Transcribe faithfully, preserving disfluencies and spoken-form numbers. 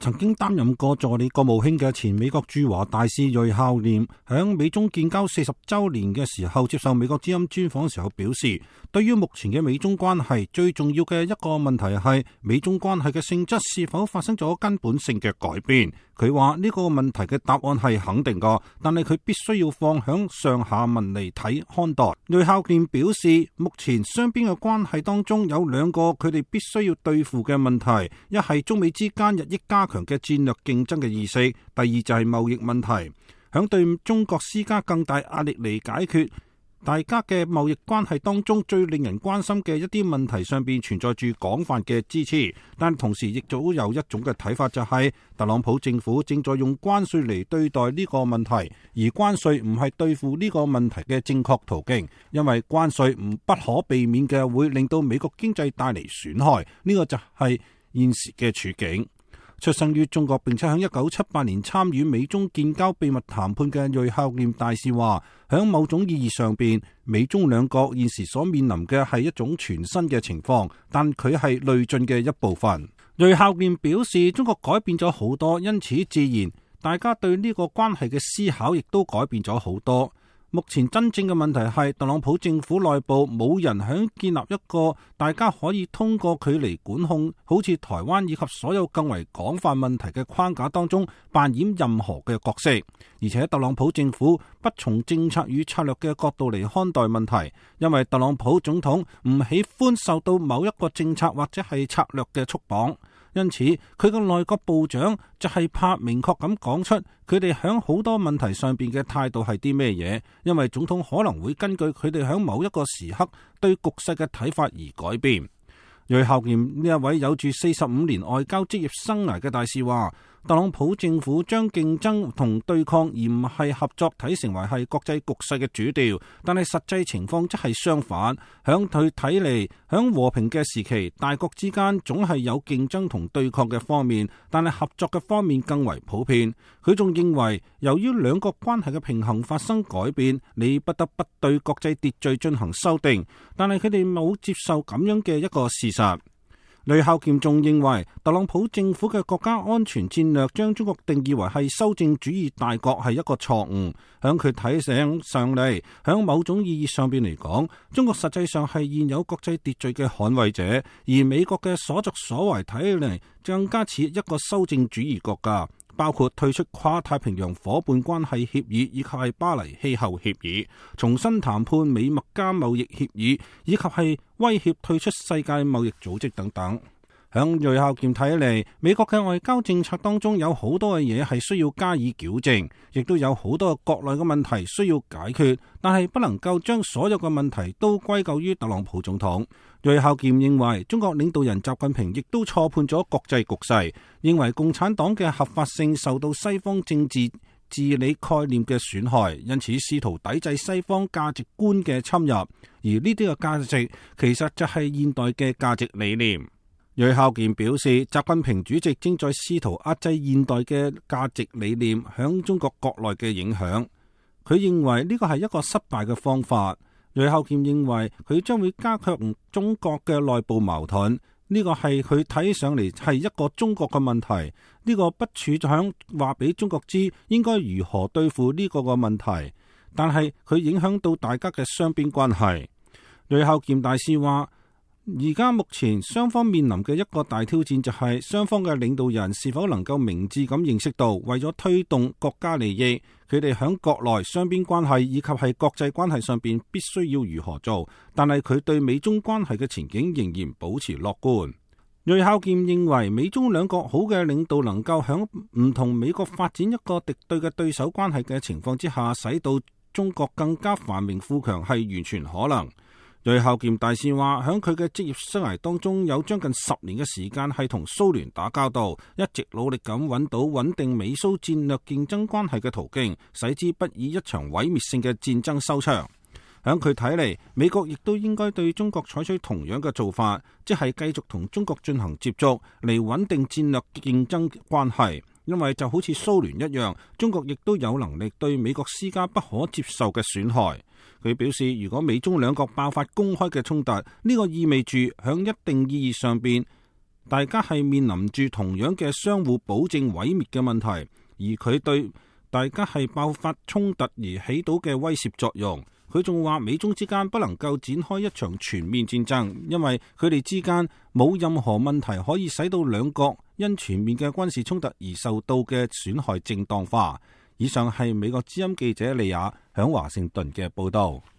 曾經擔任過助理國務卿嘅前美國駐華大使芮孝廉，響美中建交四十週年嘅時候接受美國之音專訪時候表示，對於目前嘅美中關係，最重要嘅一個問題係美中關係嘅性質是否發生咗根本性嘅改變。佢話呢個問題嘅答案係肯定㗎，但係佢必須要放響上下文嚟睇看待。芮孝廉表示，目前雙邊嘅關係當中有兩個佢哋必須要對付嘅問題，一係中美之間日益加強嘅戰略競爭嘅意識，第二就係貿易問題，響對中國施加更大壓力嚟解決大家嘅貿易關係當中最令人關心嘅一啲問題上邊存在住廣泛嘅支持，但同時亦早有一種嘅睇法，就係特朗普政府正在用關稅嚟對待呢個問題，而關稅唔係對付呢個問題嘅正確途徑，因為關稅唔不可避免嘅會令到美國經濟帶嚟損害，呢個就係現時嘅處境。出生於中國並且喺一九七八年參與美中建交秘密談判嘅芮孝廉大使話，喺某種意義上邊，美中兩國現時所面臨嘅係一種全新嘅情況，但佢係累進嘅一部分。芮孝廉表示，中國改變咗好多，因此自然大家對呢個關係嘅思考亦都改變咗好多。目前真正嘅問題係特朗普政府內部冇人響建立一個大家可以通過佢嚟管控好似台灣以及所有更為廣泛問題嘅框架當中扮演任何嘅角色，而且特朗普政府不從政策與策略嘅角度嚟看待問題，因為特朗普總統唔喜歡受到某一個政策或者係策略嘅束綁。因此，佢嘅內閣部長就係怕明確咁講出佢哋響好多問題上邊嘅態度係啲咩嘢，因為總統可能會根據佢哋響某一個時刻對局勢嘅睇法而改變。芮孝廉呢一位有住四十五年外交職業生涯嘅大使話，特朗普政府將競爭同對抗而唔係合作睇成為係國際局勢嘅主調，但係實際情況則係相反。響佢睇嚟，響和平嘅時期，大國之間總係有競爭同對抗嘅方面，但係合作嘅方面更為普遍。佢仲認為，由於兩國關係嘅平衡發生改變，你不得不對國際秩序進行修訂，但係佢哋冇接受咁樣嘅一個事實。芮孝廉仲認為，特朗普政府嘅國家安全戰略將中國定義為係修正主義大國係一個錯誤。響佢睇醒上嚟，響某種意義上邊嚟講，中國實際上係現有國際秩序嘅捍衛者，而美國嘅所作所為睇起嚟更加似一個修正主義國家，包括退出跨太平洋夥伴關係協議以及係巴黎氣候協議，重新談判美墨加貿易協議，以及係威脅退出世界貿易組織等等。響芮孝廉睇嚟，美國嘅外交政策當中有好多嘅嘢係需要加以矯正，亦都有好多國內嘅問題需要解決，但係不能夠將所有嘅問題都歸咎於特朗普總統。芮孝廉認為，中國領導人習近平亦都錯判咗國際局勢，認為共產黨嘅合法性受到西方政治治理概念嘅損害，因此試圖抵制西方價值觀嘅侵入，而呢啲嘅價值其實就係現代嘅價值理念。芮孝廉表示，習近平主席正在試圖壓制現代嘅價值理念響中國國內嘅影響。佢認為呢個係一個失敗嘅方法。芮孝廉認為佢將會加強中國嘅內部矛盾。呢個係佢睇上嚟係一個中國嘅問題。呢個不處響話俾中國知應該如何對付呢個嘅問題，但係佢影響到大家嘅雙邊關係。芮孝廉大使話，而家目前雙方面臨嘅一個大挑戰就係雙方嘅領導人是否能夠明智咁認識到，為咗推動國家利益，佢哋響國內雙邊關係以及係國際關係上邊必須要如何做。但係佢對美中關係嘅前景仍然保持樂觀。芮孝廉認為，美中兩國好嘅領導能夠響唔同美國發展一個敵對嘅對手關係嘅情況之下，使到中國更加繁榮富強係完全可能。芮孝廉大使話，響佢嘅職業生涯當中有將近十年嘅時間係同蘇聯打交道，一直努力咁揾到穩定美蘇戰略競爭關係嘅途徑，使之不以一場毀滅性嘅戰爭收場。響佢睇嚟，美國亦都應該對中國採取同樣嘅做法，即係繼續同中國進行接觸嚟穩定戰略競爭關係。因為就好似蘇聯一樣，中國亦都有能力對美國施加不可接受嘅損害。佢表示，如果美中兩國爆發公開嘅衝突，呢個意味住響一定意義上邊，大家係面臨住同樣嘅相互保證毀滅嘅問題，而佢對大家係爆發衝突而起到嘅威懾作用。佢仲話美中之間不能夠展開一場全面戰爭，因為佢哋之間冇任何問題可以使到兩國因全面嘅軍事衝突而受到嘅損害正當化。以上係美國之音記者利亞響華盛頓嘅報道。